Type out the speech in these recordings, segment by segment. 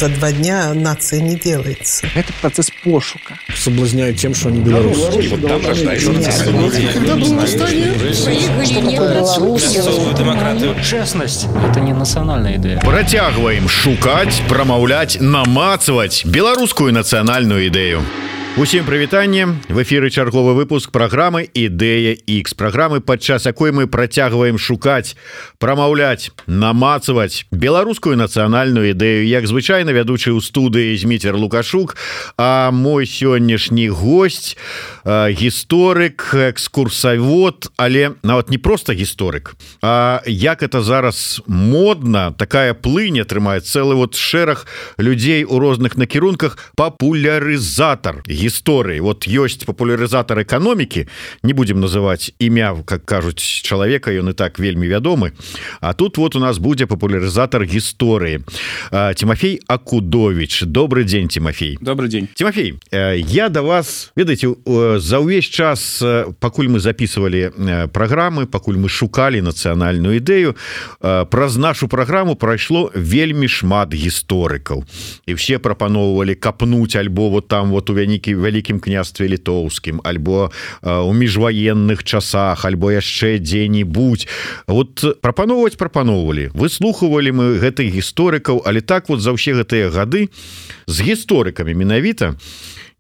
за 2 дня нация не делается. Это процесс пошука. Соблазняют тем, что они белорусы. Вот там рождаются демократию. Честность – это не национальная идея. Працягваем шукаць, прамаўляць, намацваць беларускую нацыянальную ідэю. Усім прывітанне. В эфіры чарговы выпуск праграмы «Ідэя X». Праграмы, падчас якой мы працягваем шукаць, прамаўляць, намацваць беларускую нацыянальную ідэю. Як звычайна, вядучы ў студыі Зміцер Лукашук, а мой сённяшні госць гісторык, экскурсавод, але нават не проста гісторык, а як это зараз модна, такая плынь атрымае цэлы шэраг людзей у розных накірунках, папулярызатар гісторыі. Вот ёсць папулярызатар эканомікі, не будем называть імя, как кажуць, чалавека, ён і так вельмі вядомы. А тут вот у нас будзе папулярызатар гісторыі. Тимофей Акудович. Добрый день, Тимофей. Добрый день. Тимофей, я до вас, ведаеце, за ўвесь час, пакуль мы записывали праграмы, пакуль мы шукалі нацыянальную ідэю, праз нашу праграму прайшло вельмі шмат гісторыкаў. І все прапаноўвалі капнуць альбо вот там вот у вялікім княстве літоўскім, альбо у міжваенных часах, альбо яшчэ дзе-небудзь. Вот прапаноўвалі, выслухвалі мы гэтых гісторыкаў, але так вот за ўсе гэтыя гады з гісторыкамі менавіта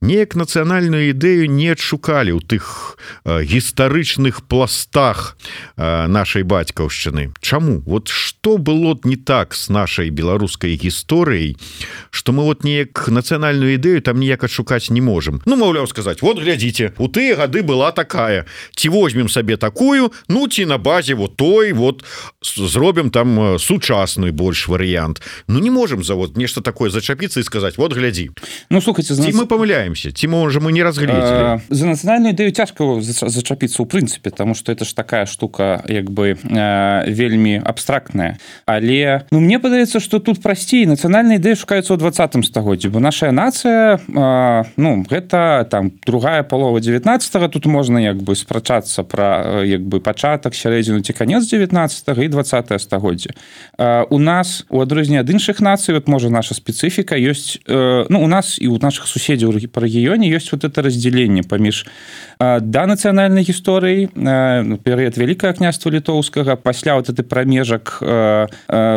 неяк нацыянальную ідэю не адшукалі ў тых гістарычных пластах нашай бацькаўшчыны. Чаму? Вот што было не так с нашай беларускай гісторыяй, што мы вот неяк нацыянальную ідэю там ніяк адшукаць не можам. Ну, маўляў, сказаць, вот глядзіце, у тыя гады была такая, ці возьмем сабе такую, ну, ці на базе вот той, вот зробім там сучасны больш варыянт. Ну, не можам за вот нешта такое зачапіцца і сказаць, вот глядзі. Ну, слухайте, ці мы памыляем, ці можа мы не разгледзелі. За нацыянальную ідэю цяжка зачапіцца ў прынцыпе, таму што это ж такая штука як бы вельмі абстрактная. Але мне падаецца, што тут прасцей. Нацыянальная ідэя шукаецца ў 20 стагоддзі, бо наша нацыя, гэта там другая палова 19-го, тут можна як бы спрачацца пра як бы пачатак, сярэдзіну ці канец 19-го і 20-е стагоддзе. У нас, у адрозненне ад іншых нацый, вот можа наша спецыфіка ёсць, у нас і у наших суседзяў па рэгіёне ёсць вот это разделение паміж данацыянальнай гісторыі, перыяд Вялікага княства літоўскага, пасля вот этой прамежак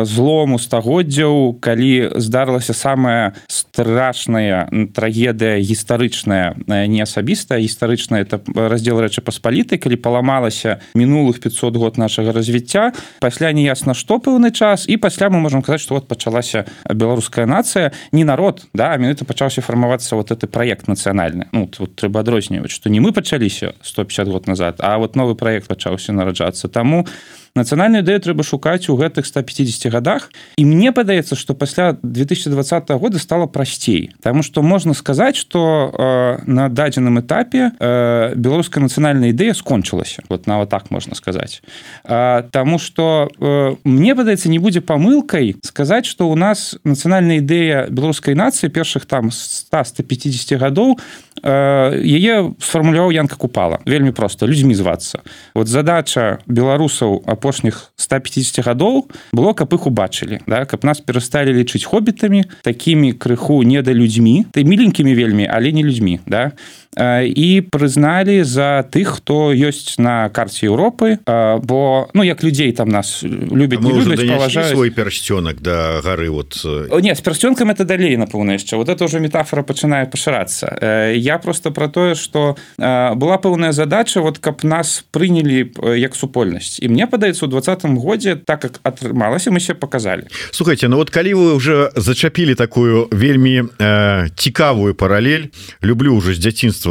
злому стагоддзяў, калі здарылася самая страшная трагедыя гістарычная, не асабістая, гістарычная, это раздзел Рэчы Паспалітай, калі паламалася мінулых 500 год нашага развіцця, пасля неясна што пэўны час, і пасля мы можам казаць, што вот пачалася беларуская нацыя, не народ, да, а менавіта пачаўся фармавацца вот этот проект нацыянальны. Ну, тут трэба адрозніваць, што не мы пачаліся 150 год назад, а вот новы праект пачаўся нараджацца. Таму нацыянальную ідэю трэба шукаць у гэтых 150 годах. І мне падаецца, што пасля 2020 года стала прасцей. Таму што можна сказаць, што на дадзеным этапе беларуская нацыянальная ідэя скончылася. Вот нават так можна сказаць. Таму што мне падаецца, не будзе памылкай сказаць, што ў нас нацыянальная ідэя беларускай нацыі першых там 100-150 гадоў яе сфармуляваў Янка Купала. Вельмі проста, людзьмі звацца. Вот задача беларусаў апошніх 150 гадоў было, каб іх убачылі, да? Каб нас перасталі лічыць хоббітамі, такімі крыху недалюдзьмі, міленькімі вельмі, але не людзьмі, да? І прызналі за тых, хто ёсць на карце Еўропы, бо, як людзей там нас любяць, не любяць, паважаюць. Свой персцёнак да гары вот. Не, з персцёнкам это далей, напэўна, яшчэ. Вот это ўжо метафора пачынае пашырацца. Я просто про тое, што была пэўная задача, вот каб нас прынялі як супольнасць. І мне падаецца, у 20-м годзе, так як атрымалася, мы себе показалі. Слухайте, ну вот калі вы уже зачапілі такую вельмі цікавую паралель, люблю уже з дзяцінства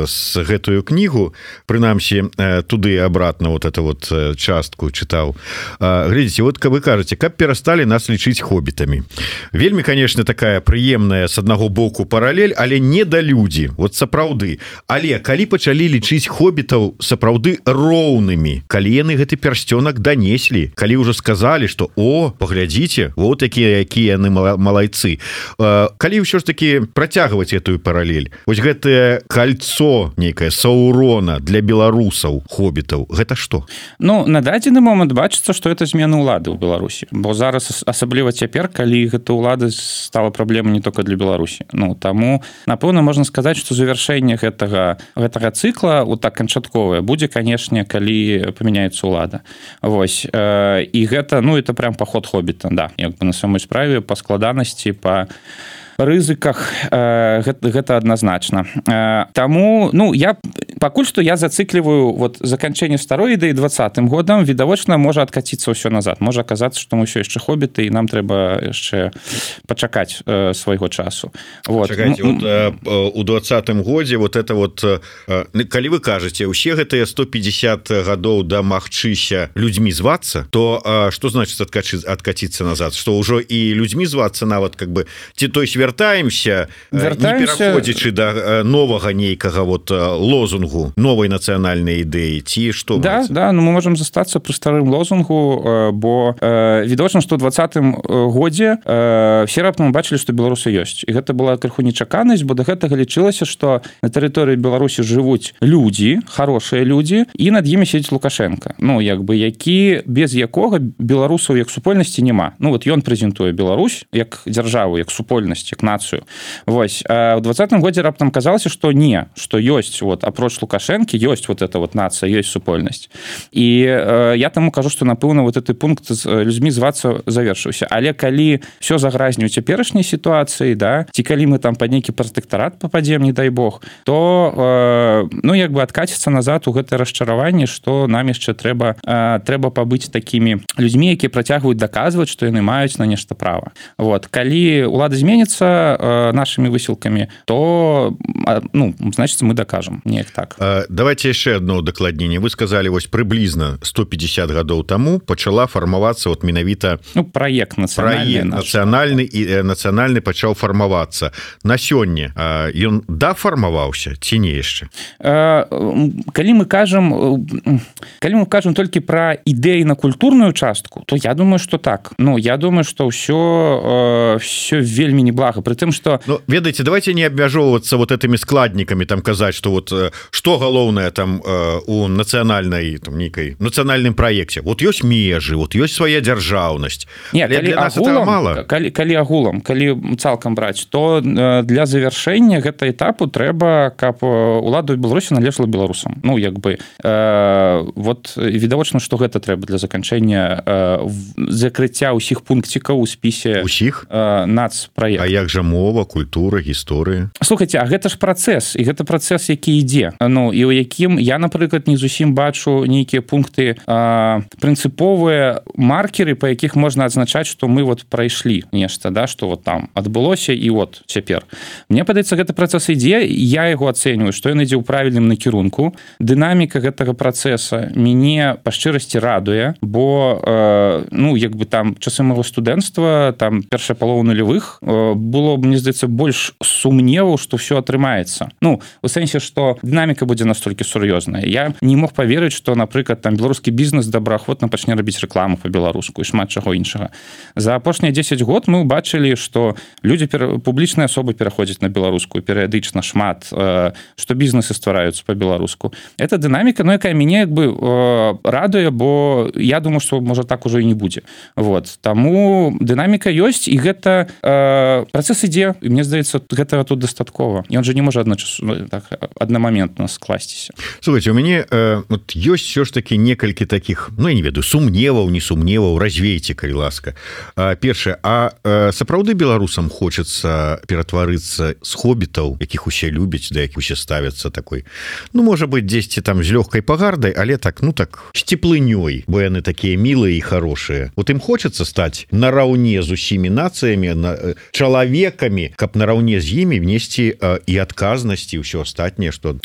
с гэтую кнігу, прынамсі туды абратно вот эту вот частку чытаў. Глядзіце, вот вы кажаце, каб перасталі нас лічыць хоббітамі. Вельмі, конечно, такая прыемная с аднаго боку паралель, але не да людзі, вот сапраўды. Але калі пачалі лічыць хоббітаў сапраўды роўнымі, калі яны гэты персцёнак данеслі, калі ўжо сказалі, што паглядзіце, вот якія яны малайцы. Калі ўсё ж таки працягваць гэтую паралель, вось гэтая кольцо нейкае Саурона для беларусаў хоббітаў гэта што? Ну на дадзены момант бачыцца што это змена ўлады ў Беларусі, бо зараз асабліва цяпер калі гэта ўлада стала праблемай не только для Беларусі. Ну таму напэўна можна сказаць што завяршэнне гэтага цыкла вот так канчатковае будзе канешне калі памяняецца ўлада. Вось і гэта ну это прям паход хоббіта, да, як бы на самой справе па складанасці па рызыках гэта адназначна. Таму ну я пакуль што я зацыкліваю вот заканчэнне старой ідэі 20-м годам, відавочна можа адкаціцца ўсё назад, можа аказацца што мы ўсё яшчэ хоббіты і нам трэба яшчэ пачакаць свайго часу. Вот. Чакайце, вот, у 20-м годзе вот это вот калі вы кажаце усе гэтыя 150 гадоў дамагчыся людзьмі звацца, то што значыць адкаціцца назад, што ўжо і людзьмі звацца нават как бы ці той вяртаемся, не пераходзячы да новага нейкага вот лозунгу новай нацыянальнай ідэі ці што? Да, да, ну мы можам застацца пры старым лозунгу, бо відавочна, што ў 20-м годзе все раптам бачылі, што беларусы ёсць. І гэта была крыху нечаканасць, бо да гэтага лічылася, што на тэрыторыі Беларусі жывуць людзі, хорошыя людзі, і над імі сядзіць Лукашенко. Ну, як бы, які, без якога беларусаў як супольнасці няма. Ну, вот ён прэзентуе Беларусь як дзяржаву, як супольнасць, як нацыю. Вось. А ў 20-м годзе раптам казалася, што не, што ёсць, вот, апроч Лукашэнкі, ёсць вот эта вот нацыя, ёсць супольнасць. І я таму кажу, што, напэўна, вот гэты пункт з людзьмі звацца завершыўся. Але калі ўсё загразне ў цяперашняй сітуацыі, да, ці калі мы там пад нейкі пратэктарат пападзем, не дай Бог, то, ну, як бы адкаціцца назад у гэтае расчараванне, што нам яшчэ трэба пабыць такімі людзьмі, якія працягваюць даказваць, што яны маюць на нешта права. Вот. Калі ўлада зменіцца нашими высілкамі, то ну, значит, мы докажем. Неяк так. Давайте яшчэ одно удакладненне. Вы сказали, вось прыблізна 150 гадоў таму пачала фармавацца вот менавіта ну, проект нацыянальны пачаў фармавацца. На сёння ён дафармаваўся ці не яшчэ? Калі мы кажам толькі пра ідэйна-культурную частку, то я думаю, што так. Ну, я думаю, што ўсё вельмі неблага. При тым, што... Ну, ведаеце, давайте не абмяжоўвацца вот этими складнікамі, там казаць, што вот што галоўнае там у нацыянальнай там нейкай нацыянальным праекце. Вот ёсць межы, вот ёсць свая дзяржаўнасць. Не, калі агулам, калі цалкам браць, то для завяршэння гэта этапу трэба, каб улада Беларусі належала беларусам. Ну, як бы вот відавочна, што гэта трэба для заканчэння закрыцця ўсіх пункцікаў у спісе усіх нацпраекта. А як жа мова, культура, гісторыя? Слухайце, а гэта ж працэс, і гэта працэс, які ідзе. Ну, і ў якім я, напрыклад, не зусім бачу нейкія пункты прынцыповыя маркеры, па якіх можна адзначаць, што мы вот прайшлі нешта, да, што вот там адбылося і вот цяпер. Мне падаецца, гэты працэс ідзе, я яго ацэньваю, што ён ідзе ў правільным накірунку. Дынаміка гэтага працэса мяне па шчырасці радуе, бо ну, як бы там часы майго студэнцтва, там першая палова нулявых было, мне здаецца, больш сумневаў, што ўсё атрымаецца. Ну, у сэнсе, што дынаміка будзе настолькі сур'ёзная. Я не мог паверыць, што, напрыклад, там беларускі бізнес добраахвотна пачне рабіць рэкламу па-беларуску і шмат чаго іншага. За апошнія 10 год мы ўбачылі, што людзі, публічныя асобы пераходзяць на беларускую перыядычна шмат, што бізнесы ствараюцца па-беларуску. Эта дынаміка, ну, якая мяне як бы радуе, бо я думаю, што можа так ужо і не будзе. Вот. Таму дынаміка ёсць, і гэта працэс ідзе, і мне здаецца, гэтага тут дастаткова. Ён жа не можа так, аднамаментна скласціся. Слухайте, у мяне вот, ёсць все ж таки некалькі таких, ну, я не ведаю, сумневаў, не сумневаў, развейце, калі ласка. Першае, сапраўды беларусам хочацца ператварыцца з хоббітаў, якіх усе любяць, да якіх усе ставяцца такой, ну, можа быть, дзесьці там з лёгкай пагардай, але так, ну, так, з теплынёй, бо яны такія мілыя і хорошыя. Вот ім хочацца стаць нараўне з усімі нацыямі, чалавекамі, каб нараўне з імі внесці і адказнасць і ўсё астатняе, што...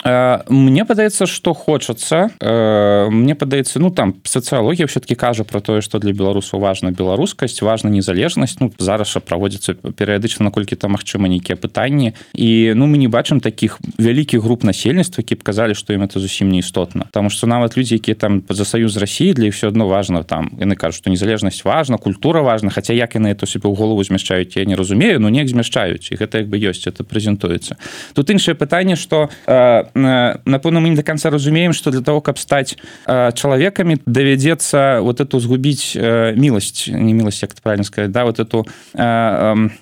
Мне падаецца, што хочацца. Мне падаецца, ну там сацыялогія все-таки кажа про тое, што для беларусаў важна беларускасць, важна незалежнасць. Ну зараз жа праводзіцца перыядычна, наколькі там магчыма нейкія пытанні. І ну мы не бачым таких вялікіх груп насельніцтва, які б казалі, што ім это зусім не істотна. Таму што нават людзі, якія там за саюз з Расіі, для іх все адно важна, там яны кажуць, што незалежнасць важна, культура важна, хаця як яны это себе ў голову змяшчаюць, я не разумею, но неяк змяшчаюць, і гэта як бы ёсць, это прэзентуецца. Тут іншае пытанне, што напэўна мы не до конца разумеем, што для того, каб стаць чалавекамі, давядзецца вот эту згубіць міласць, не міласць, як это правильно сказать, да, вот эту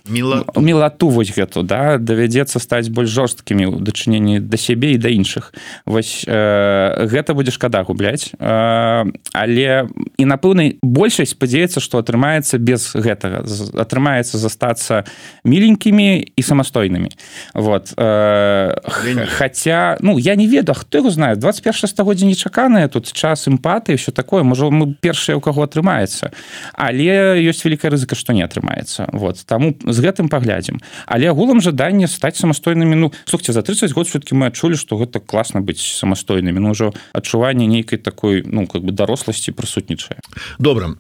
мілату вось гэту, да, давядзецца стаць больш жорсткімі ў дачыненні да сябе і да іншых. Вось гэта будзе шкада губляць, але і напэўна большасць спадзяецца, што атрымаецца без гэтага, атрымаецца застацца міленькімі і самастойнымі. Вот. Хотя, ну, я не ведаю, хто яго знае, 21 стагоддзе нечаканае, тут час эмпатыі, все такое, можа, мы першыя, у каго атрымаецца, але ёсць вялікая рызыка, што не атрымаецца. Вот. Таму з гэтым паглядзім. Але агулам жаданне стаць самастойнымі, ну, слухайте, за 30 год все-таки мы адчулі, што гэта класна быць самастойнымі, ну, ўжо адчуванне нейкай такой, ну, как бы даросласці прысутнічае. Добра,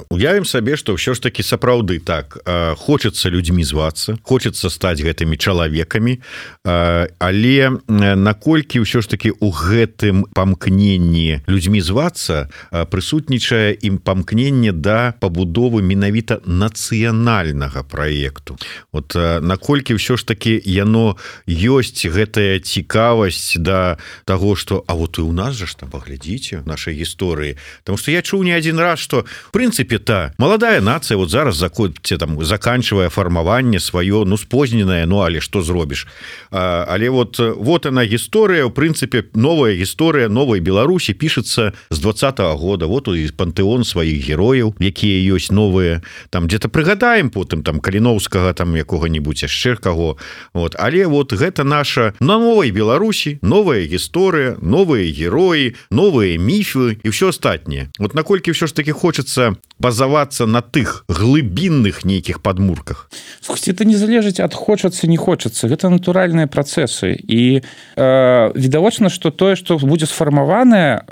уявім сабе, што ўсё ж такі сапраўды так, хочацца людзьмі звацца, хочацца стаць гэтымі чалавекамі, але наколькі ўсё ж такі ў гэтым памкненні людзьмі звацца прысутнічае ім памкненне да пабудовы менавіта нацыянальнага праекту. Вот наколькі ўсё ж такі яно ёсць гэтая цікавасць да таго, што а вот і ў нас жа ж там паглядзіце нашай гісторыі. Таму што я чуў не адзін раз, што в прынцыпе маладая нацыя вот зараз заканчивае фармаванне сваё, ну спозненае, ну але што зробіш. Але вот она гісторыя, в прынцыпе новая гісторыя новай Беларусі пішацца з 20-го года. Вот і пантэон сваіх герояў, якія ёсць новыя, там где-то прыгадаем потым там Каліноўскага, там якога-нибудь яшчэ каго. Вот. Але вот гэта наша на новай Беларусі новая гісторыя, новыя героі, новыя міфы і ўсё астатняе. Вот наколькі ўсё ж таки хочацца базавацца на тых глыбінных нейкіх падмурках. Слушайте, это не залежыць ад хочацца, не хочацца. Гэта натуральныя працэсы. І відавочна, што тое, што будзе сфармаванае,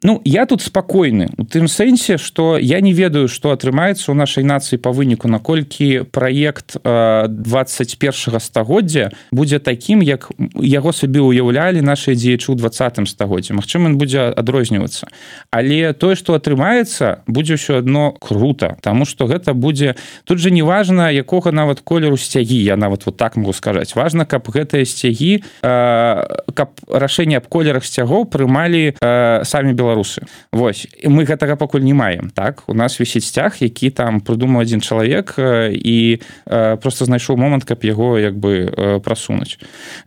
ну, я тут спакойны. У тым сэнсе, што я не ведаю, што атрымаецца ў нашай нацыі па выніку, наколькі праект 21 стагоддзя будзе такім, як яго сабе ўяўлялі нашыя дзеячы ў 20 стагоддзі. Магчыма, ён будзе адрознівацца. Але тое, што атрымаецца, будзе ўсё адно круто, таму што гэта будзе... Тут же не важна, якога нават колеру сцягі, я нават вот так могу сказаць. Важна, каб гэтыя сцягі, каб рашэнне аб колерах сцягоў прымалі самі беларусы. Вось. Мы гэтага пакуль не маем, так? У нас вісіць сцяг, які там прыдумаў адзін чалавек і просто знайшоў момант, каб яго як бы прасунуць.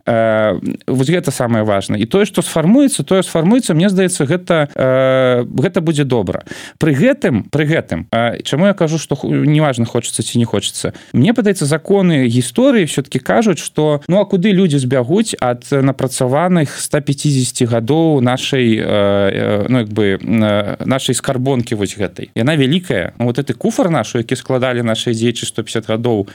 Вось гэта самае важнае. І тое, што сфармуецца, мне здаецца, гэта будзе добра. Пры гэтым, чаму я кажу, што неважна, хочацца ці не хочацца. Мне падаецца, законы гісторыі все-таки кажуць, што ну а куды людзі збягуць ад напрацаваных 150 гадоў нашай, ну як бы нашай скарбонкі вось гэтай. Яна вялікая. Ну, вот гэты куфар нашу, які складалі нашыя дзеячы 150 гадоў,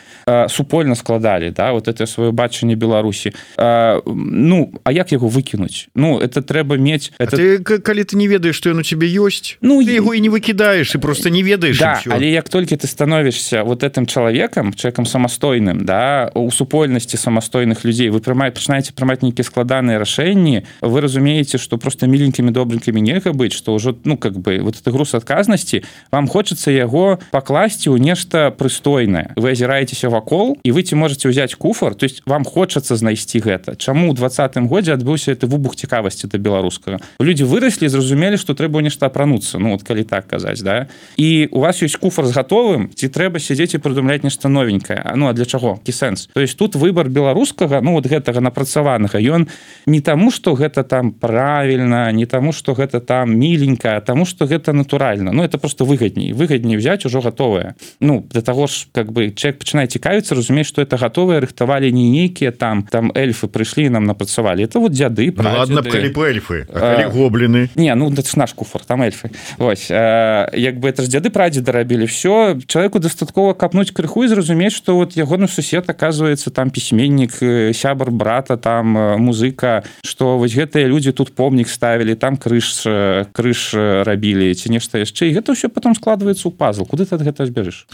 супольна складалі, да, вот это сваё бачанне Беларусі. Ну, а як яго выкінуць? Ну, это трэба мець... Калі ты не ведаеш, што ён у цябе ёсць, ну, ты яго і не выкідаеш, і просто не ведаеш. Да, але як толькі ты становішся вот этим чалавекам самастойным, да, у супольнасці самастойных людзей, вы пачынаеце прымаць нейкія складаныя рашэнні, вы разумееце, што просто міленькімі добренькімі нельга быць, што ўжо, ну, как бы, вот это груз адказнасці, вам хочацца яго пакласці ў нешта прыстойнае. Вы азіраецеся вакол, і вы ці можаце ўзяць куфар, то есть вам хочацца знайсці гэта. Чаму ў 20-м годзе адбыўся гэты выбух цікавасці да беларускага? Людзі выраслі і зразумелі, што трэба нешта апрануцца, ну, вот калі так казаць, да? І у вас ёсць куфар з гатовым, ці трэба сядзець і прыдумляць нешта новенькае. Ну, а для чаго? Які сэнс? То есть тут выбор беларускага, ну, вот гэтага напрацаванага, ён не таму, што гэта там правільна, не таму, што гэта там міленька, а таму, што гэта натуральна. Ну, это просто выгадней взяць ужо гатовае. Ну, для таго ж, как бы, чалавек пачынае цікавіцца, разумець, што это гатовае рыхтавалі не нейкія там эльфы прыйшлі і нам напрацавалі. Это вот дзяды, прадзеды. Ну, ладно, калі б эльфы, а калі гобліны? Не, ну, это ж наш куфар, там эльфы. Вось. Як бы, это ж дзяды прадзеды рабілі. Все, чалавеку дастаткова капнуць крыху і зразумець, што вот ягоны сусед, оказывается, там пісьменнік, сябар брата, там музыка, што вось гэтыя людзі тут помнік ставілі, там крыж рабілі ці нешта яшчэ, і гэта ўсё потом складваецца ў пазл. Куды ты ад гэта збяжыш?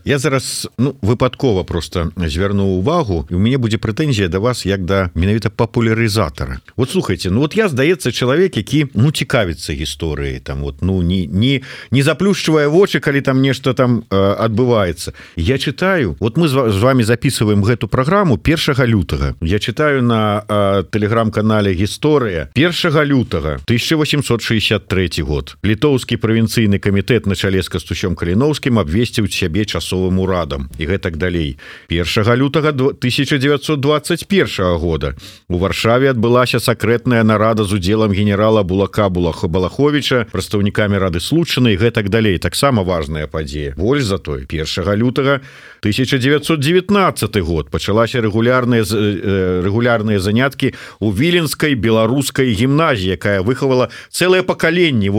Я зараз выпадкова просто звярну увагу, і у мяне будзе прэтэнзія да вас як да менавіта папулярызатара. Вот слухайте, я, здаецца, чалавек, які цікавіцца гісторыяй, там не заплюшчвае вочы, калі там нешта там адбываецца. Я читаю, мы з вами записываем гэту праграму 1 лютага. Я читаю на тэлеграм-канале «Гісторыя» 1 лютага 1863 год. Літоўскі правінцыйны камітэт на чале з Кастусём Каліноўскім абвесціў сябе часовым урадам і гэтак далей. 1 лютага 1921 года у Варшаве адбылася сакрэтная нарада з удзелам генерала Булака Балаховича, прадстаўнікамі Рады Случаны і гэтак далей. Таксама важная падзея. Больш за той, 1 лютага 1919 год пачалася рэгулярныя заняткі у Віленскай беларускай гімназіі, якая выхавала цэлае пакаленне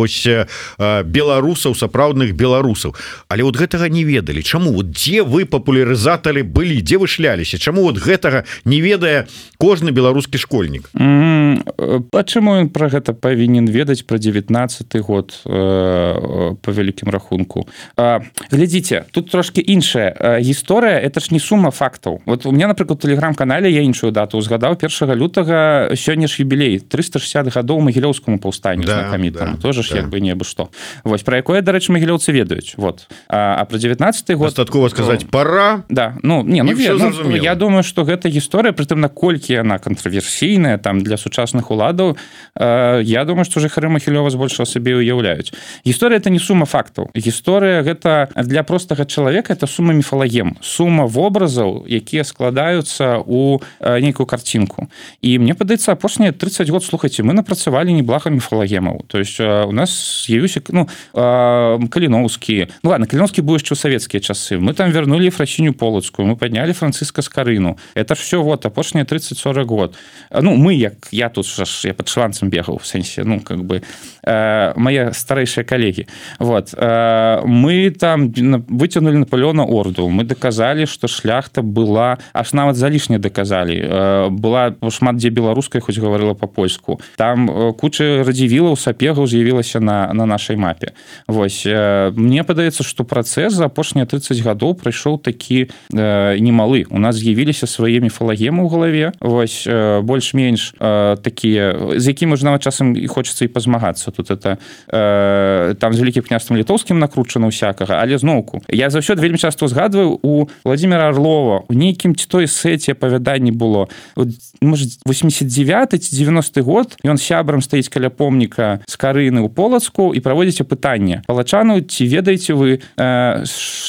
беларусаў, сапраўдных беларусаў. Але гэтага не ведалі. Чаму? Дзе вы папулярызатары былі? Дзе вы шляліся? Чаму гэтага не ведае кожны беларускі школьнік? Чаму ён пра гэта павінен ведаць пра 19 год по вялікім рахунку? Глядзіце, тут трошки іншая гісторыя, это ж не сума фактаў. У меня, напрыклад, у тэлеграм-канале я іншую дату узгадаў 1 лютага, сёння ж юбілей 360 гадоў магілёўскаму паўстанню знакамітаму. Тоже ж як бы не абы што. Вось пра якое, дарэчы, магілёўцы ведаюць. А пра 19 год дастаткова сказаць пора. Да, я думаю, што гэта гісторыя, прытым наколькі яна кантраверсійная там для сучасных уладаў, я думаю, што жыхары Магілёва збольшага сабе уяўляюць. Гісторыя это не сума фактаў. Гісторыя гэта для простага чалавека это сума міфалагем, сума вобразаў, якія складаюцца ў нейкую карцінку. І мне падаецца, апошнія 30 год, слухайце, мы напрацавалі неблага міфалагемаў. То есть у нас з'явіўся Каліноўскі. Каліноўскі быў яшчэ ў савецкія часы. Мы там вярнулі Ефрасіню Полацкую, мы паднялі Францыска Скарыну. Это ж все апошнія 30-40 год. Я тут я пад шланцам бегаў, в сэнсе, мае старэйшыя калегі. Мы там выцягнули Наполеона орду, мы даказалі, што шляхта была, аж нават залішне даказалі, была шмат дзе беларускай, хоць гаварыла па-польску. Там куча радзівілаў, сапегаў з'явілася на нашай мапе. Мне падаецца, што працэс за апошнія 30 гадоў прайшоў такі немалы. У нас з'явіліся свае міфалагемы ў галаве, больш-менш такія, з якімі ж нават часам і хочацца і пазмагацца. Тут это там з вялікім княствам літоўскім накручана ўсякага, але зноўку. Я заўсёды вельмі часто узгадваю у Владимира Орлова, у нейкім ці той сэце апавяданні было, можа, 89 ці 90 год, ён сябрам стаіць каля помніка Скарыны ў Полацку і праводзіць апытанне. Палачану, ці ведаеце вы,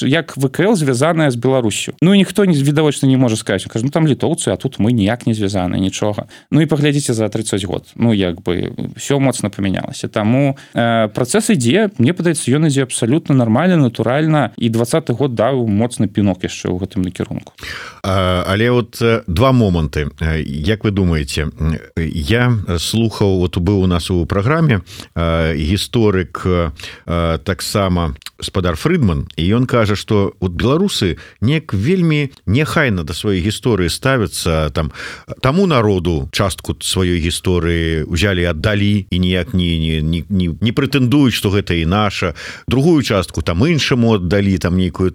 як ВКЛ звязаная з Беларусю? Ніхто відавочна не можа сказаць. Кажу, там літоўцы, а тут мы ніяк не звязаны, нічога. І паглядзіце за 30 год. Все моцна памянялася. Таму працэс ідзе, мне падаецца, ён ідзе абсалютна нармальна, натуральна, і 20-й год даў моцны пінок яшчэ ў гэтым накірунку. Але два моманты. Як вы думаеце, я слухаў, быў у нас у праграме гісторык таксама спадар Фрыдман, і ён кажа, што беларусы неяк вельмі нехайна да сваёй гісторыі ставяцца, таму народу частку сваёй гісторыі узялі, аддалі і ніяк не прэтэндуюць, што гэта і наша. Другую частку іншаму аддалі, нейкую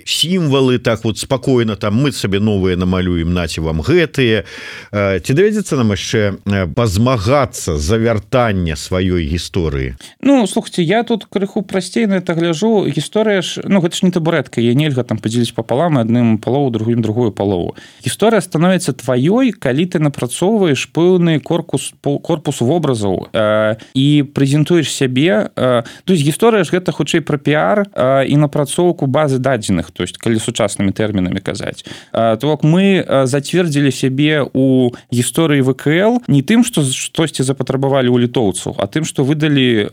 сімвалы, спакойна, мы сабе новыя намалюем, наце вам гэтыя. Ці давядзецца нам яшчэ пазмагацца за вяртанне сваёй гісторыі? Слухайте, я тут крыху прасцей на это гляжу. Гісторыя ж, гэта ж не табурэтка, я нельга падзеліць папалам, адным палову, другую палову. Гісторыя становіцца тваёй, калі ты напрацоўваеш пэўны корпус вобразаў і прэзентуеш сябе. То есть гісторыя ж гэта хутчэй пра піар і напрацоўку базы дадзеных, то есть калі сучаснымі тэрмінамі казаць. То мы зацвердзілі сябе у гісторыі ВКЛ не тым, што штосьці запатрабавалі ў літоўцаў, а тым, што выдалі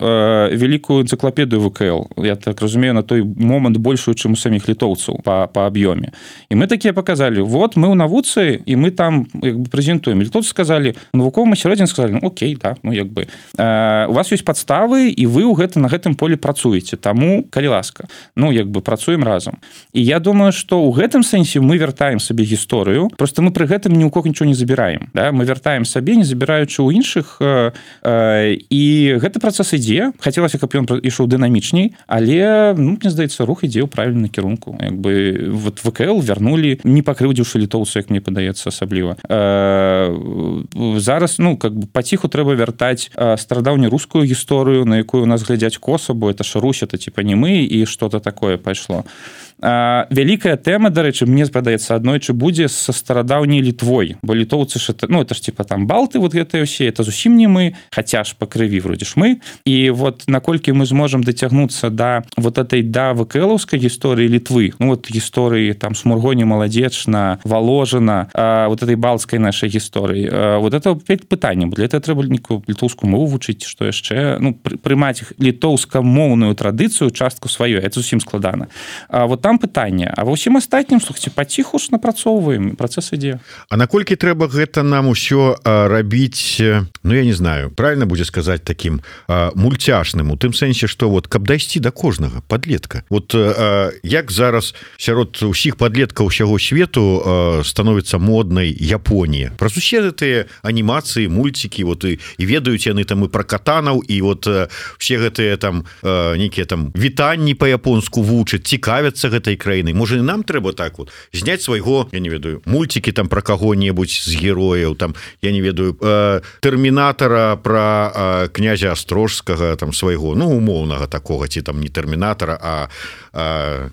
вялікую энцыклапедыю ВКЛ. я так разумею, на той момант большую, чым у саміх літоўцаў по аб'ёме. І мы такія показалі, вот мы ў навуцы, і мы там як бы прэзентуем. Літоўцы сказалі, навуковым асяроддзі сказалі, ну окей, да, ну як бы у вас ёсць падставы, і вы на гэтым полі працуеце, таму калі ласка, ну як бы працуем разам. І я думаю, што ў гэтым сэнсе мы вяртаем сабе гісторыю, просто мы пры гэтым ні ў кого нічого не забіраем, да? Мы вяртаем сабе, не забіраючы ў іншых, і гэты працэс ідзе, хацелася, каб ён ішоў дынамічней, але, ну, мне здаецца, рух ідзе ў правільным кірунку. Як бы вот ВКЛ вярнулі, не пакрыўдзіўшы літоўцу, як мне падаецца, асабліва. Зараз, ну, как бы паціху трэба вяртаць старадаўнерускую гісторыю, на якую у нас глядзяць коса, бо это ж Русь, это типа не мы, і что-то такое пайшло. Вялікая тэма, дарэчы, мне падаецца, аднойчы будзе са старадаўняй Літвой, бо літоўцы ж, ну, это ж типа там балты, вот гэтыя ўсе, это зусім не мы, хаця ж па крыві вроде ж мы, і вот наколькі мы зможам дацягнуцца да вот этой да ВКЛаўскай гісторыі Літвы, ну, вот гісторыі там Смургоні, Маладзечна, Воложина, вот этой балцкай нашай гісторыі, вот это пытанне, бо для этого трэба літоўскую мову вучыць, што яшчэ, ну, прымаць літоўскамоўную традыцыю, частку сваёй, это зусім складана. Вот там пытанне, а ва ўсім астатнім, слухайце, паціху ж напрацоўваем, працэс ідзе. А наколькі трэба гэта нам усё рабіць, ну, я не знаю, правильно будзе сказаць таким мульцяшным, у тым сэнсе, што вот каб дайсці да кожнага падлетка. Вот як зараз сярод усіх падлеткаў усяго свету становіцца моднай Японія. Праз усе гэтыя анімацыі, мульцікі, вот і ведаюць яны там і пра катанаў, і вот все гэтыя там нейкія там вітанні па-японску вучаць, цікавяцца гэтай краінай. Можа, і нам трэба так вот зняць свайго, я не ведаю, мульцікі там пра каго-небудзь з герояў, там, я не ведаю, Тэрмінатара, пра князя Астрожскага, там, свайго, ну, умоўнага такога, ці там не Тэрмінатара, а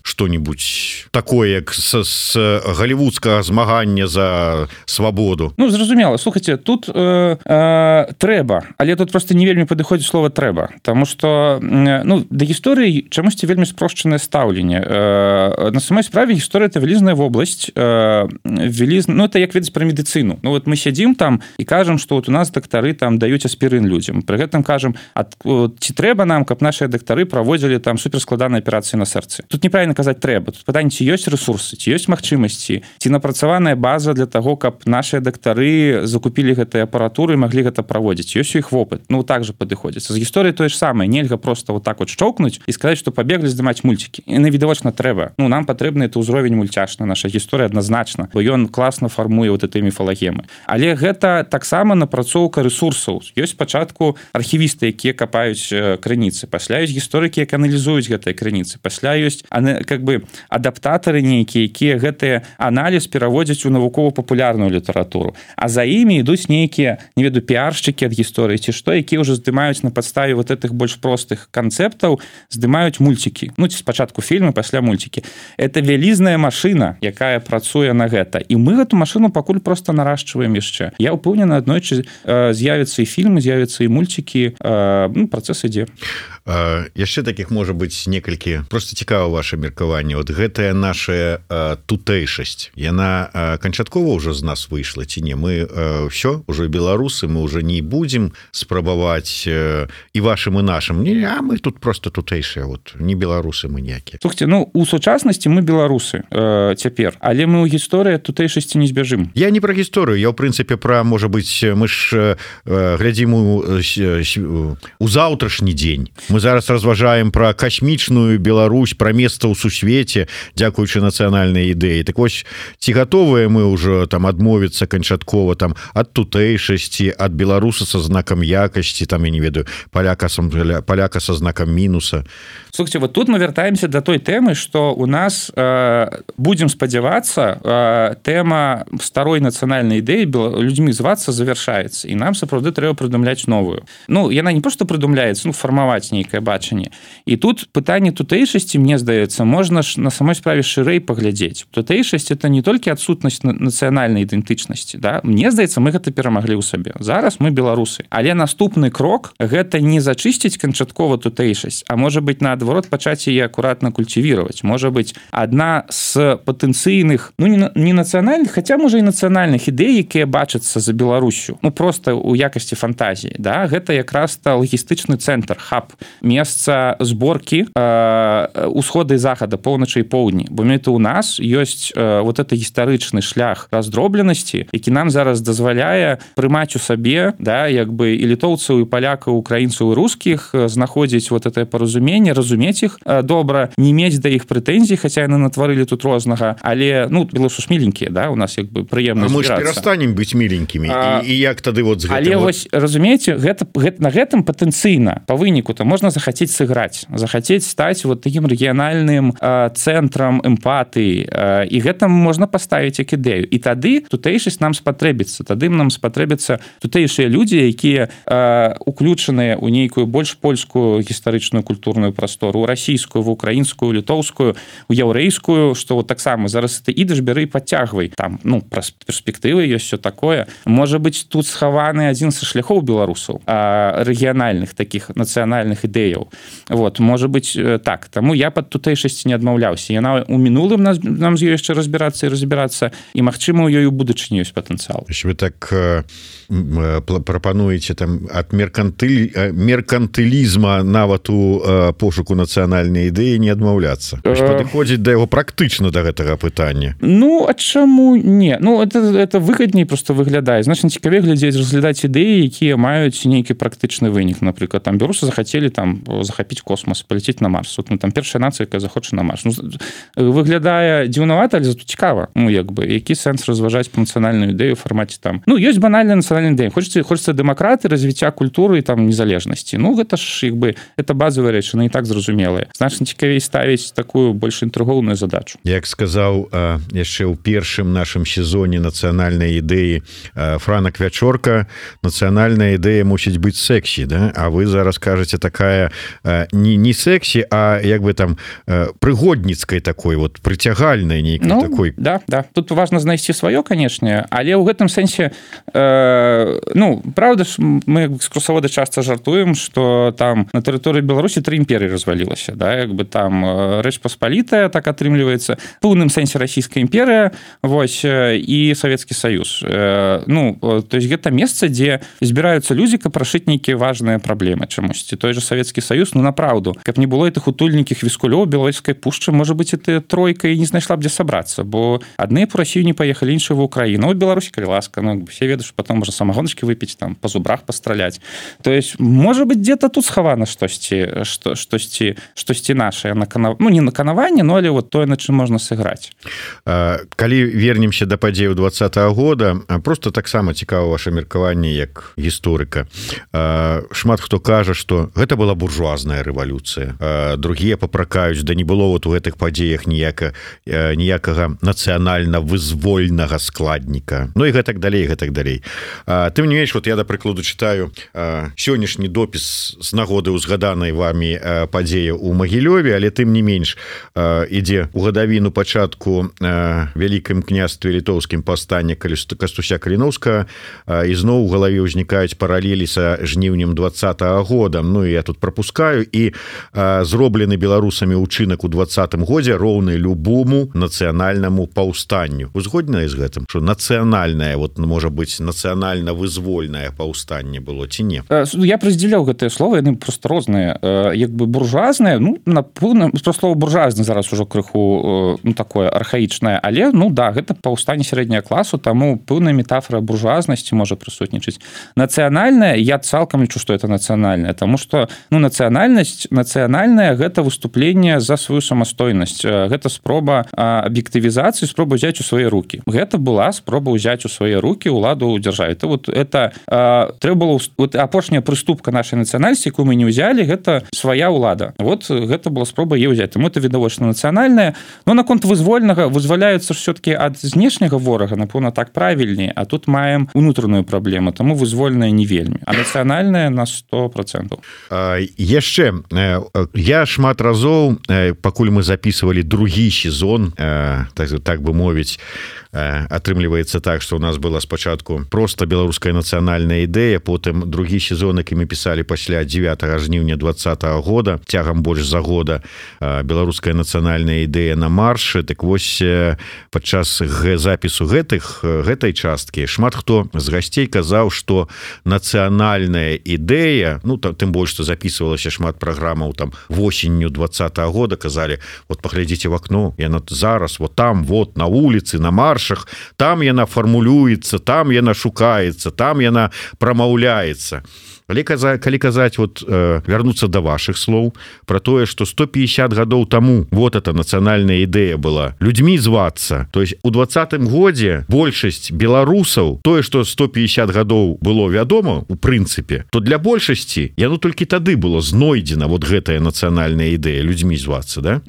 што-нибудь такое, як з галівудскага змагання за свабоду. Ну, зразумела, слухайце, тут трэба, але тут просто не вельмі падыходзіць слова трэба, таму што, ну, да гісторыі чамусьці вельмі спрошчанае стаўленне. На самой справе гісторыя — это вялізная вобласць, ну, это як ведаць пра медыцыну. Ну, вот мы сядзім там і кажам, што вот у нас дактары там даюць аспірын людзям. Пры гэтым кажам, ці трэба нам, каб нашыя дактары праводзілі там суперскладаныя аперацыі на сэрцы. Тут неправільна казаць трэба. Тут пытанне, ці ёсць рэсурсы, ці ёсць магчымасці, ці напрацаваная база для таго, каб нашыя дактары закупілі гэтыя апаратуры і маглі гэта праводзіць. Ёсць у іх вопыт. Ну, так же падыходзіцца. З гісторыяй тое ж самае. Нельга просто вот так вот шчоўкнуць і сказаць, што пабеглі здымаць мульцікі. І навідавочна трэба. Ну, нам патрэбны это ўзровень мульцяшны, наша гісторыя адназначна, бо ён класна фармуе вот этой міфалагемы. Але гэта таксама напрацоўка рэсурсаў. Ёсць спачатку архівісты, якія капаюць крыніцы, пасля ёсць гісторыкі, якія аналізуюць гэтыя крыніцы, пасля ёсць как бы адаптатары нейкія, якія гэтыя аналіз пераводзяць у навукова-папулярную літаратуру. А за імі ідуць нейкія, не ведаю, піаршчыкі ад гісторыі ці што, якія ўжо здымаюць на падставе вот этих больш простых канцэптаў, здымаюць мульцікі. Ну, ці спачатку фільмы, пасля мульцікі. Это вялізная машына, якая працуе на гэта. І мы гэту машыну пакуль просто нарашчваем яшчэ. Я ўпэўнены, аднойчы з'явяцца і фільмы, з'явяцца і мульцікі. Ну, працэс ідзе. Яшчэ таких можа быць некалькі. Просто цікава ваше меркаванне. Вот гэтая наша тутэйшасць, яна канчаткова ўжо з нас выйшла ці не? Мы ўсё, ўжо беларусы, мы ўжо не будзем спрабаваць і вашым, і нашым. Не, а мы тут просто тутэйшыя, вот, не беларусы мы ніякія. Слухайте, ну, у сучаснасці мы беларусы цяпер, але мы ў гісторыі тутэйшасці не збяжым. Я не пра гісторыю, я ў прынцыпе пра, можа быць, мы ж глядзім у заўтрашні дзень. Мы зараз разважаем пра касмічную Беларусь, пра месца ў сусвеце, дзякуючы нацыянальнай ідэі. Так вось, ці гатовыя мы ўжо там адмовіцца канчаткова там ад тутэйшасці, ад беларуса са знакам якасці, там, я не ведаю, паляка са знакам мінуса. Слухайте, вот тут мы вяртаемся до той тэмы, што у нас, будзем спадзявацца, тэма старой нацыянальнай ідэі людзьмі звацца завяршаецца, і нам сапраўды трэба прыдумляць новую. Ну, яна не проста прыдумляецца, ну, фармаваць нейкае бачанне. І тут пытанне тутэйшасці, мне здаецца, можна ж на самой справе шырэй паглядзець. Тутэйшасць — это не толькі адсутнасць нацыянальнай ідэнтычнасці, да? Мне здаецца, мы гэта перамаглі ў сабе. Зараз мы беларусы. Але наступны крок — гэта не зачысціць канчаткова тутэйшасць, а можа быць, наадварот, пачаць яе акуратна культивировать. Можа быць, адна з патэнцыйных, ну, не нацыянальных, хаця, можа, і нацыянальных ідэй, якія бачацца за Беларусю, ну, просто ў якасці фантазіі, да? Гэта якраз лагістычны цэнтр, хаб месца зборкі усхода і захада, поўначы і поўдні. Бо это у нас ёсць вот это гістарычны шлях раздробленасці, які нам зараз дазваляе прымаць у сабе, да, як бы і літоўцаў, і палякаў, украінцаў і рускіх, знаходзіць вот это паразуменне, разумець іх добра, не мець да іх прэтэнзій, хаця яны натварылі тут рознага, але ну беларусы ж міленькія, да, у нас як бы прыемна збірацца. Мы ж перастанем быць міленькімі і як тады вот з гэтым. Але вось разумееце, гэта на гэтым патэнцыйна па выніку то можна захацець сыграць, захацець стаць вот таким рэгіянальным цэнтрам эмпатыі, і гэтым можна паставіць як ідэю. І тады тутэйшасць нам спатрэбіцца, тады нам спатрэбяцца тутэйшыя людзі, якія уключаныя ў нейкую больш польскую гістарычную культурную прастору, у расійскую, в украінскую, літоўскую, у яўрэйскую, што вот таксама зараз ты ідаш, бяры і падцягвай. Там, ну, перспектывы ёсць всё такое. Можа быць, тут схаваны адзін са шляхоў беларусаў, рэгіянальных такіх нацыянальных ідэяў. Вот, можа быць, так. Таму я пад тутэйшасці не адмаўляўся. Яна у мінулым нам з ёй яшчэ разбірацца, і, магчыма, у ёй у будучыні ёсць патэнцыял. Вы так прапануеце там ад меркантылізма нават у пошуку нацыянальнай ідэі не адмаўляцца. Падыходзіць да яго практычна да гэтага пытання. Ну, а чаму не? Ну, это выгадней просто выглядае. Значна цікавей глядзець, разглядаць ідэі, якія маюць нейкі практычны вынік. Напрыклад, там беларусы захацелі там захапіць космос, паляцець на Марс. Вот, ну, там першая нацыя, якая захоча на Марс. Ну, выглядае дзіўнавата, але зато цікава. Ну, як бы, які сэнс разважаць па нацыянальную ідэю ў фармаце там. Ну, ёсць банальная нацыянальная ідэя. Хочацца дэмакраты, развіцця культуры і там незалежнасці. Ну, гэта ж, як бы, это базовая рэч, яны і так зразумелыя. Значна цікавей ставіць такую больш інтрыгоўную задачу. Як сказаў яшчэ ў першым нашым сезоне нацыянальнай ідэі Франак Вячорка, нацыянальная ідэя мусіць быць сэксі, да? А вы зараз кажаце такая не сэксі, а як бы там прыгодніцкай такой, вот прыцягальнай нейкай, ну, такой. Да. Тут важна знайсці сваё, канешне, але ў гэтым сэнсе ну, правда ж, мы экскурсоводы часта жартуем, што там на тэрыторыі Беларусі 3 імперыі развалілася, да, як бы там Рэч Паспалітая, так атрымліваецца, в пэўным сэнсе расійская імперыя, вось, і Савецкі Саюз. Ну, то есть гэта месца, дзе збіраюцца людзі, каб рашыць нейкія важныя праблемы чамусьці. Той же Савецкі Саюз, ну, направду, каб не было гэтых утульнікіх віскулёў Белавежскай пушчы, можа быць, это тройка і не знайшла б дзе сабрацца, бо адны па Расію не паехалі, іншыя в Украіну. Вот Беларусі, калі ласка, ну, все ведаюць, потом можа самагоначкі выпіць, там, па зубрах пастраляць. То есть, можа быць, где-то тут схавана штосьці нашае, ну, не наканаванне, но але вот тое, на чым можна сыграць. Калі вернемся да падзеяў 20-го года, просто таксама цікава ваше меркаванне як гісторыка. Шмат хто кажа, што гэта была буржуазная рэвалюцыя. Другія папракаюць, да не было вот у гэтых падзеях ніякага нацыянальна-вызвольнага складніка. Ну і гэтак далей. Тым не менш, вот я, да прыкладу, чытаю сённяшні допіс з нагоды ўзгаданай вамі падзеі ў Магілёве, але тым не менш ідзе ў гадавіну пачатку вялікім княстве літоўскім паўстання Кастуся Каліноўскага, і зноў у галаве ўзнікаюць паралелі са жніўнем 20-го года. Ну, я тут пропускаю, і зроблены беларусамі ўчынак у 20-м годзе роўны любому нацыянальнаму паўстанню. Вы згодныя з гэтым, што нацыянальнае, вот, можа быць, нацыянальна-вызвольнае паўстанне было ці не? Я раздзяляў гэтыя словы, яны просто розныя. Як бы буржуазнае, ну, напэўна, слово буржуазны зараз ужо крыху, ну, такое архаічнае, але, ну, да, гэта паўстанне сярэдняга класу, таму пэўная метафора буржуазнасці можа прысутнічаць. Нацыянальнае, я цалкам лічу, што это нацыянальнае, таму што, ну, нацыянальнае гэта выступленне за сваю самастойнасць, гэта спроба аб'ектывізацыі, спроба ўзяць у свае рукі. Гэта была спроба ўзяць у свае рукі ўладу ў дзяржаве. Это трэба было, вот апошняя прыступка нашай нацыянальнасці, якую мы не ўзялі, гэта свая ўлада. Вот гэта была спроба яе ўзяць. Таму это відавочна нацыянальнае. Но наконт вызвольнага, вызваляюцца ж все-таки ад знешняга ворага, напэўна, так правільней, а тут маем унутраную праблему, таму вызвольнае не вельмі, а нацыянальнае на 100%. Яшчэ, я шмат разоў, пакуль мы записывалі другі сезон, так бы мовіць, атрымліваецца так, што у нас была спачатку проста беларуская нацыянальная ідэя, потым другі сезон, які мы пісалі пасля 9 жніўня 20-го года, цягам больш за года, беларуская нацыянальная ідэя на маршы. Так вось, падчас запісу гэтай часткі шмат хто з гасцей казаў, што нацыянальная ідэя, ну, тым больш, што записывалася шмат праграмаў там восенню 20-го года, казалі, вот паглядзіце в окно, яна зараз вот там, вот на вуліцы, на маршах, там яна фармулюецца, там яна шукаецца, там яна прамаўляецца. Але калі казаць вот вярнуцца да вашых слоў про тое, что 150 гадоў таму вот эта нацыянальная ідэя была людзьмі звацца, то есть у 20-м годзе большасць беларусаў, тое, что 150 гадоў было вядома у прынцыпе, то для большасці яно толькі тады было знойдзена вот гэтая нацыянальная ідэя людзьмі звацца, да?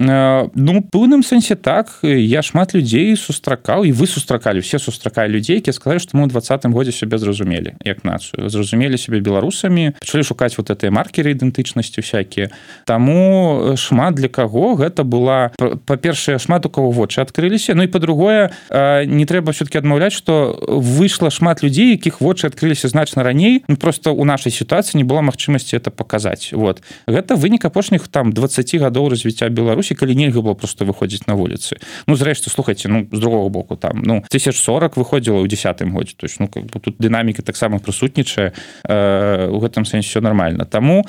Ну, пэўным сэнсе так, я шмат людзей сустракаў, і вы сустракалі, все сустракалі людзей, якія сказалі, што мы ў 20-м годзе сябе зразумелі як нацыю, зразумелі сябе беларусамі, пачалі шукаць вот гэтыя маркеры ідэнтычнасці всякія. Таму шмат для каго гэта была, па-першае, шмат у каго вочы адкрыліся, ну і па-другое, не трэба все-таки адмаўляць, што выйшла шмат людзей, якіх вочы адкрыліся значна раней, ну просто у нашай сітуацыі не было магчымасці это паказаць. Вот. Гэта вынік апошніх там 20 гадоў развіцця Беларусі, калі нельга было просто выходзіць на вуліцы. Ну, зрэшты, слухайце, ну, з другого боку, там, ну, 1040 выходзіла ў 10-м годзе, то есть, ну, как бы тут дынаміка таксама прысутнічае, у гэтым сэнсе все нормально. Таму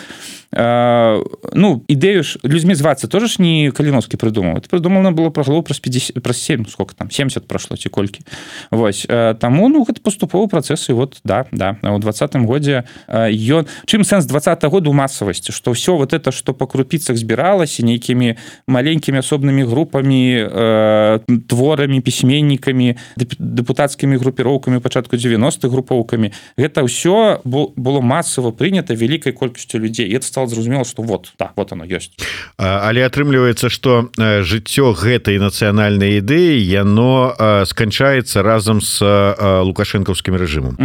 ну, ідэю ж людзьмі звацца тоже ж не Каліновскі прыдумаў. Это прыдумана было прагло праз 50, праз 7, сколько там, 70 прошло ці колькі. Вось. Таму, ну, гэта паступовы працэс, і вот, да, у 20-м годзе ён... Чым сэнс 20-го года ў масавасці? Што ўсё вот это, што па крупіцах збіралася нейкімі маленькімі асобнымі групамі, творамі, пісьменнікамі, дэпутацкімі групіроўкамі, пачатку 90-х групоўкамі, гэта ўсё было масава прынята вялікай колькасцю людзей. І это стало зразумела, што вот, да, вот оно ёсць. Але атрымліваецца, што жыццё гэтай нацыянальнай ідэі яно сканчаецца разам з лукашэнкаўскім рэжымам.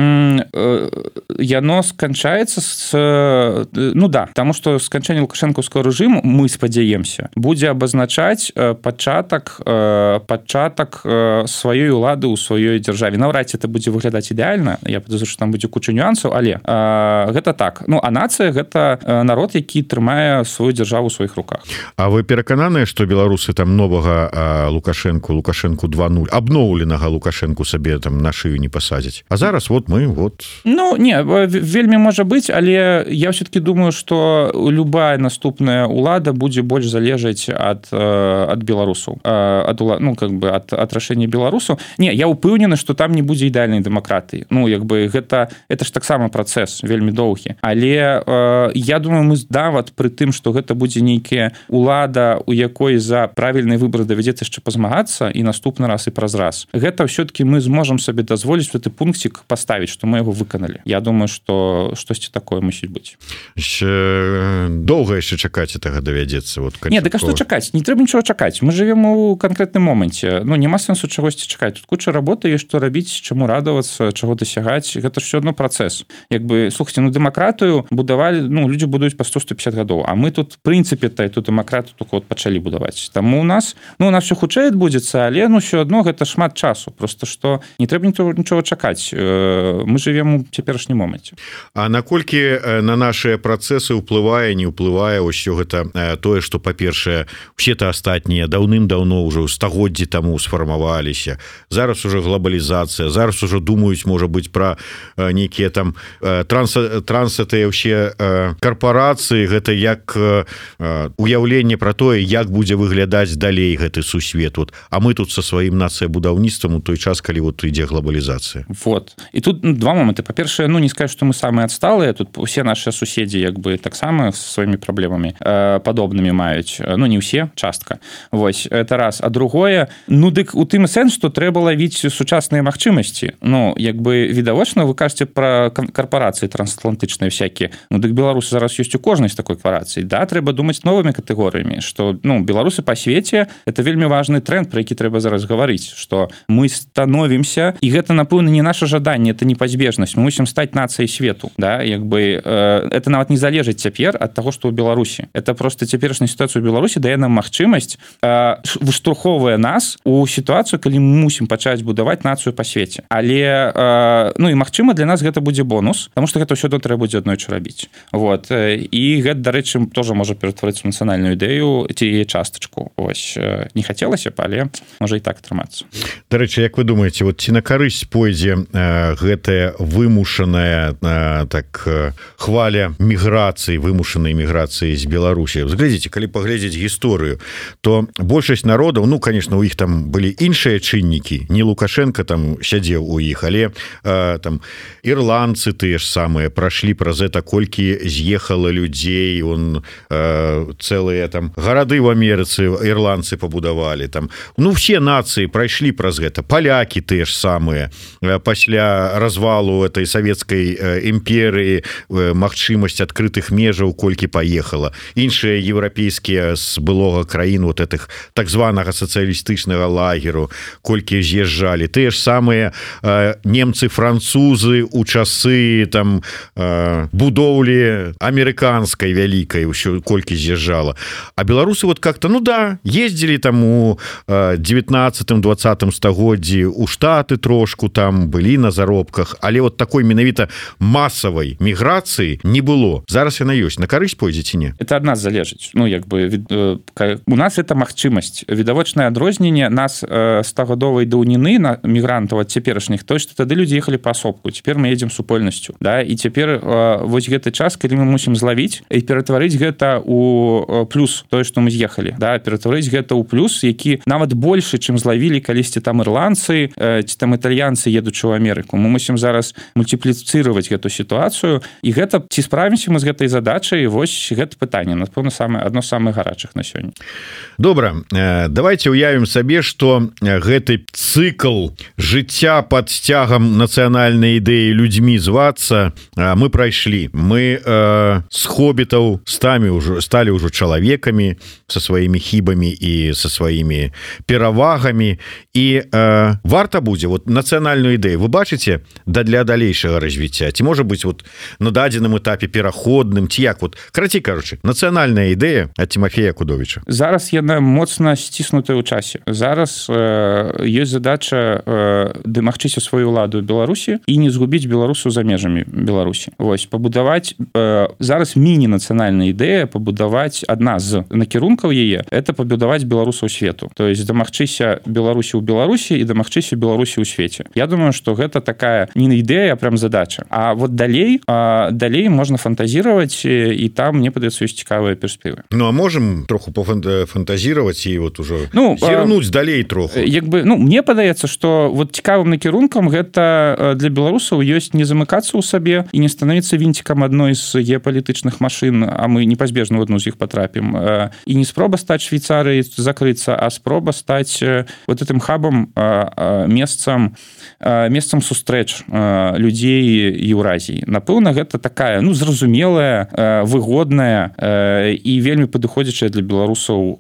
Яно сканчаецца з... Ну да, таму што сканчэнне лукашэнкаўскага рэжыму, мы спадзяемся, будзе абазначаць пачатак сваёй улады ў сваёй дзяржаве. Наўрад ці это будзе выглядаць ідэальна, я падазру, што там будзе куча нюансаў, але гэта так. Ну, а нацыя — гэта народ, які трымае сваю дзяржаву ў сваіх руках. А вы перакананыя, што беларусы там новага Лукашэнку 2.0, абноўленага Лукашэнку сабе там на шыю не пасадзяць? А зараз вот мы, вот... Ну, не, вельмі можа быць, але я все-таки думаю, што любая наступная улада будзе больш залежаць ад беларусаў, ну, как бы ад рашэння беларусаў. Не, я ўпэўнены, што там не будзе ідэальнай дэмакратыі. Ну, як бы гэта ж таксама працэс вельмі доўгі. Але я думаю, мы нават пры тым, што гэта будзе нейкая улада, у якой за правільны выбар давядзецца яшчэ пазмагацца і наступны раз і праз раз. Гэта ўсё-таки мы зможам сабе дазволіць гэты пункцік паставіць, што мы яго выканалі. Я думаю, што штосьці такое мусіць быць. Доўга яшчэ чакаць гэтага давядзецца. Вот, не, дык а што чакаць? Не трэба нічого чакаць. Мы жывем у канкрэтным моманце. Ну, няма сэнсу чагосьці чакаць. Тут куча работы, ёсць што рабіць, чаму радавацца, чаго дасягаць. Гэта ж ўсё адно працэс. Як бы, слухайце, ну, дэмакратыю будавалі, ну, людзі будуюць па 100-150 гадоў, а мы тут, в прынцыпе, эту дэмакратыю только вот пачалі будаваць. Таму у нас все хутчэй адбудзецца, але, ну, ўсё адно гэта шмат часу. Просто што не трэба нічого чакаць. Мы жывем у цяперашнім моманце. А наколькі на нашыя працэсы ўплывае, не ўплывае ўсё гэта тое, што, па-першае, усе-то астатнія даўным-даўно ўжо стагоддзі таму сфармаваліся. Зараз уже глобалізацыя, зараз уже думаюць, можа быць, пра нейкія там трансатыя ўсе карпорацыі, гэта як уяўленне пра тое, як будзе выглядаць далей гэты сусвет. Вот. А мы тут са сваім нацыябудаўніцтвам у той час, калі вот ідзе глобалізацыя. Вот. І тут два моманты. Па-першае, ну, не скажу, што мы самыя адсталыя. Тут усе нашыя суседзі як бы таксама з сваімі праблемамі падобнымі маюць. Ну, не ўсе, частка. Вось, это раз. А другое, ну, дык у тым сэнс, што трэба лавіць сучасныя магчымасці. Ну, як бы відавочна, вы кажаце пра карпорацыі трансатлантычныя всякие. Ну, дык беларусы зараз ёсць у кожнай з такой корпорацыі. Да, трэба думаць новымі катэгорыямі, што, ну, беларусы па свеце — это вельмі важны тренд, про які трэба зараз гаварыць, што мы становімся, і гэта, напэўна, не наша жаданне, это непазбежнасць. Мы мусім стаць нацыяй свету, да, як бы это нават не залежыць цяпер ад таго, што ў Беларусі. Это просто цяперашняя сітуацыя ў Беларусі дае нам магчымасць, выштурхоўвае нас у сітуацыю, калі мы мусім пачаць будаваць нацыю па свеце. Але, ну, і магчыма, для нас гэта будзе бонус, таму што гэта ўсё трэба будзе аднойчы рабіць. Вот. І гэта, дарэчы, тоже можа ператварыцца ў нацыянальную ідэю ці яе частачку. Ось. Не хацелася б, але можа і так атрымацца. Дарэчы, як вы думаеце, вот ці на карысць пойдзе гэтая вымушаная хваля міграцыі, вымушанай міграцыі з Беларусі? Зглядзіце, калі паглядзець гісторыю, то большасць народаў, ну, конечно, у іх там былі іншыя чыннікі, не Лукашенко там сядзеў у іх, але там ірландцы тыя ж самыя прайшлі праз это, колькі з'ехала людзей, цэлыя там гарады в Амерыцы ірландцы пабудавалі, там, ну, все нацыі прайшлі праз гэта, палякі тыя ж самыя, пасля развалу этой савецкай імперыі, магчымасць адкрытых межаў колькі паехала, іншыя еўрапейскія з былога краін вот этих так званага сацыялістычнага лагеру колькі з'язджалі, тыя ж самыя немцы, французы у часы там будоўлі амерыканскай вялікай ўсё колькі з'язджала, а беларусы вот как-то, ну да, ездзілі там у 19-20 стагоддзі у Штаты трошку, там былі на заробках, але вот такой менавіта масавай міграцыі не было. Зараз яна ёсць. На карысць пойдзе ці не? Это ад нас залежыць. Ну, як бы, у нас это магчымасць. Відавочнае адрозненне нас 100-гадовай даўніны на мігрантаў ад цяперашніх, то, што тады людзі ехалі паасобку. Цяпер мы едзем супольнасцю. Да? І цяпер вось гэты час, калі мы мусім злавіць і ператварыць гэта ў плюс, тое, што мы з'ехалі. Да? Ператварыць гэта ў плюс, які нават большы, чым злавілі калісьці там ірландцы ці там італьянцы, едучы ў Амерыку. Мы мусім зараз мультипліцировать эту ситуацию, и гэта, ці справимся мы з гэтай задачай, вось гэта пытанне, напэўна, адно з самых гарачых на сёння. Добра, давайте уявім сабе, што гэты цыкл жыцця пад сцягам нацыянальнай ідэі людзьмі звацца мы прайшлі. Мы з хоббітаў сталі ўжо чалавекамі са сваімі хібамі і са сваімі перавагамі, і варта будзе вот нацыянальную ідэю вы бачыце для далейшага развіцця, ці можа быць вот на дадзеным этапе пераходным, ці як вот, карацей кажучы, нацыянальная ідэя ад Тимофея Кудовіча? Зараз яна моцна сціснутая ў часе. Зараз ёсць задача дамагчыся сваю ўладу ў Беларусі і не згубіць беларусаў за межамі Беларусі. Вось, пабудаваць зараз міні-нацыянальная ідэя, пабудаваць адна з накірункаў яе, это пабудаваць беларусаў свету. То есть дамагчыся Беларусі ў Беларусі і дамагчыся Беларусі ў свеце. Я думаю, што гэта такая не ідэя, а прям задача. А вот далей можна фантазировать, і там, мне падаецца, ёсць цікавыя перспектывы. Ну, а можем троху пофантазировать і вот уже зірнуць далей троху? Як бы, ну, мне падаецца, што вот цікавым накірункам гэта для беларусаў ёсць не замыкацца ў сабе і не становіцца вінцікам адной з геапалітычных машын, а мы непазбежна в одну з іх потрапім. І не спроба стаць Швейцарыяй, закрыцца, а спроба стаць вот этим хабам, месцам сустрэч людзей Еўразіі. Напэўна, гэта такая, ну, зразумелая, выгодная і вельмі падыходзячая для беларусаў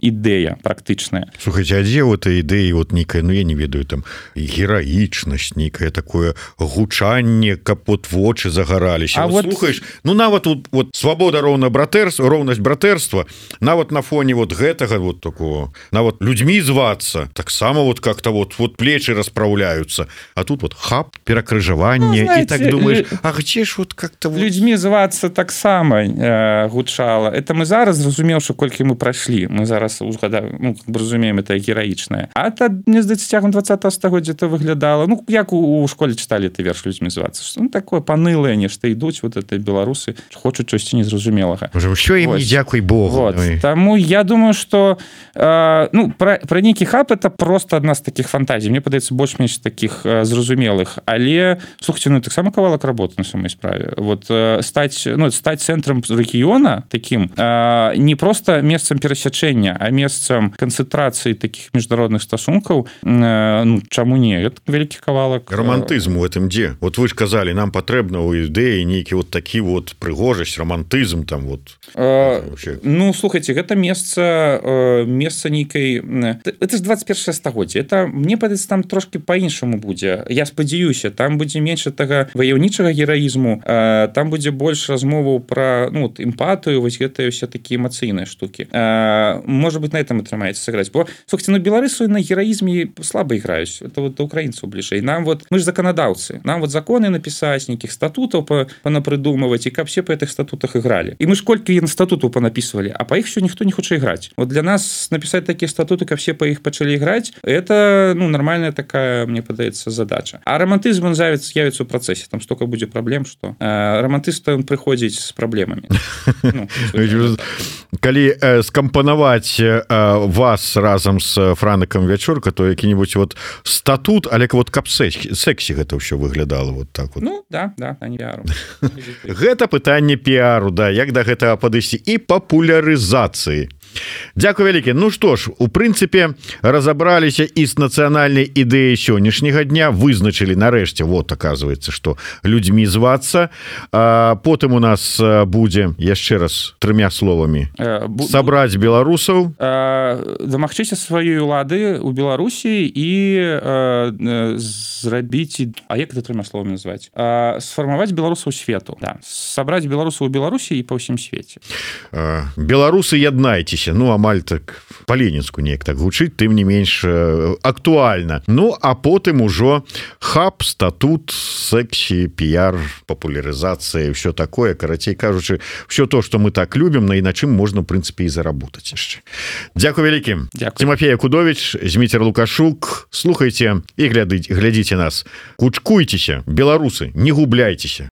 ідэя практычная. Слухайте, а дзе вот ідэі вот нейкая, ну, я не ведаю, там гераічнасць, нейкае такое гучанне, каб вот вочы загараліся. Вот слухаеш, ну, нават вот свабода, роўнасць братэрства, нават на фоне вот гэтага вот такого, нават людзьмі звацца, таксама вот как-то вот плечы расправляются, а тут вот хап, перакрыжаванне, ну, и так думаешь, а где ж вот как-то вот... Людьми звацца таксама гучала. Это мы зараз зразумеўшы, колькі мы прайшлі. Мы зараз ну, разумеем, это гераічнае. А это, мне здаецца, цягам 20-го стагоддзя это выглядала, ну, як у школе чыталі ты верш людзьмі звацца. Что, ну, такое панылае нешта ідуць, вот это беларусы хочуць чогсьці незразумелага. Що ім не дзякуй Богу. Вот. Таму я думаю, что ну, про нейкі хаб это просто адна з таких фантазій. Мне падаецца больш-менш таких зразумелых. Але, слухайте, ну, таксама кавалак работы на самой справе. Вот стаць цэнтрам рэгіёна таким не просто месцам перасячэння, а месцам канцэнтрацыі таких міжнародных стасункаў, ну, чаму не? Это вялікі кавалак. Романтызм у этом дзе? Вот вы ж казалі, нам патрэбна ў ідэі нейкі вот такі вот прыгожасць, романтызм там вот. Ну, слухайте, гэта месца нейкай... Это ж 21 стагоддзе. Это, мне падаецца, там трошки по-іншаму будзе. Я спадзяюся, там будзе менш тага ваяўнічага гераізму, там будзе больш размоваў пра, ну, эмпатыю, вось гэтыя ўсе такія эмацыйныя штукі. Может быть, на этом атрымаецца сыграць. Бо, слухайте, ну, беларусы на гераізме слаба іграюць. Это вот до украінцаў бліжэй. Нам вот, мы ж заканадаўцы. Нам вот законы напісаць, нейкіх статутаў панапрыдумываць, і каб все па гэтых статутах ігралі. І мы ж колькі статутаў панапісвалі, а па іх що ніхто не хоча іграць. Вот для нас напісаць такія статуты, каб все па іх пачалі іграць, это нормальная такая, мне падаецца, задача. А романтызм он з'явіцца ў працэсе, там столько будзе праблем, што романтыст он прыходзіць з праблемамі. Калі скампанаваць вас разам з Франыкам Вячорка, то які-нибудь вот статут, але вот каб сексі гэта ўсё выглядала вот так вот. Ну, да, не піару. Гэта пытанне піару, да, як да гэтага падысці, і папулярызацыі. Дзякуй вялікі. Ну што ж, у прынцыпе разабраліся і з нацыянальнай ідэяй сённяшняга дня, вызначылі нарэшце, вот оказывается, што людзьмі звацца. Потым у нас будзе яшчэ раз 3 словамі сабраць беларусаў, дамагчыся сваёй улады ў Беларусі і зрабіць, а як это 3 словамі назваць, сфармаваць беларусаў свету, да. Сабраць беларусаў у Беларусі і па ўсім свеце. Беларусы, яднайцеся. Ну, амаль так па-ленінску неяк так гучыць, тым не менш актуальна. Ну, а потым ужо хаб, статут, сексі, піяр, папулярызацыя, ўсё такое, карацей кажучы, ўсё то, што мы так любім, і на чым можна, в прынцыпе, і заработаць яшчэ. Дзякуй вялікім. Тимофей Якудович, Зміцер Лукашук. Слухайце і глядзіце нас. Кучкуйцеся, беларусы, не губляйцеся.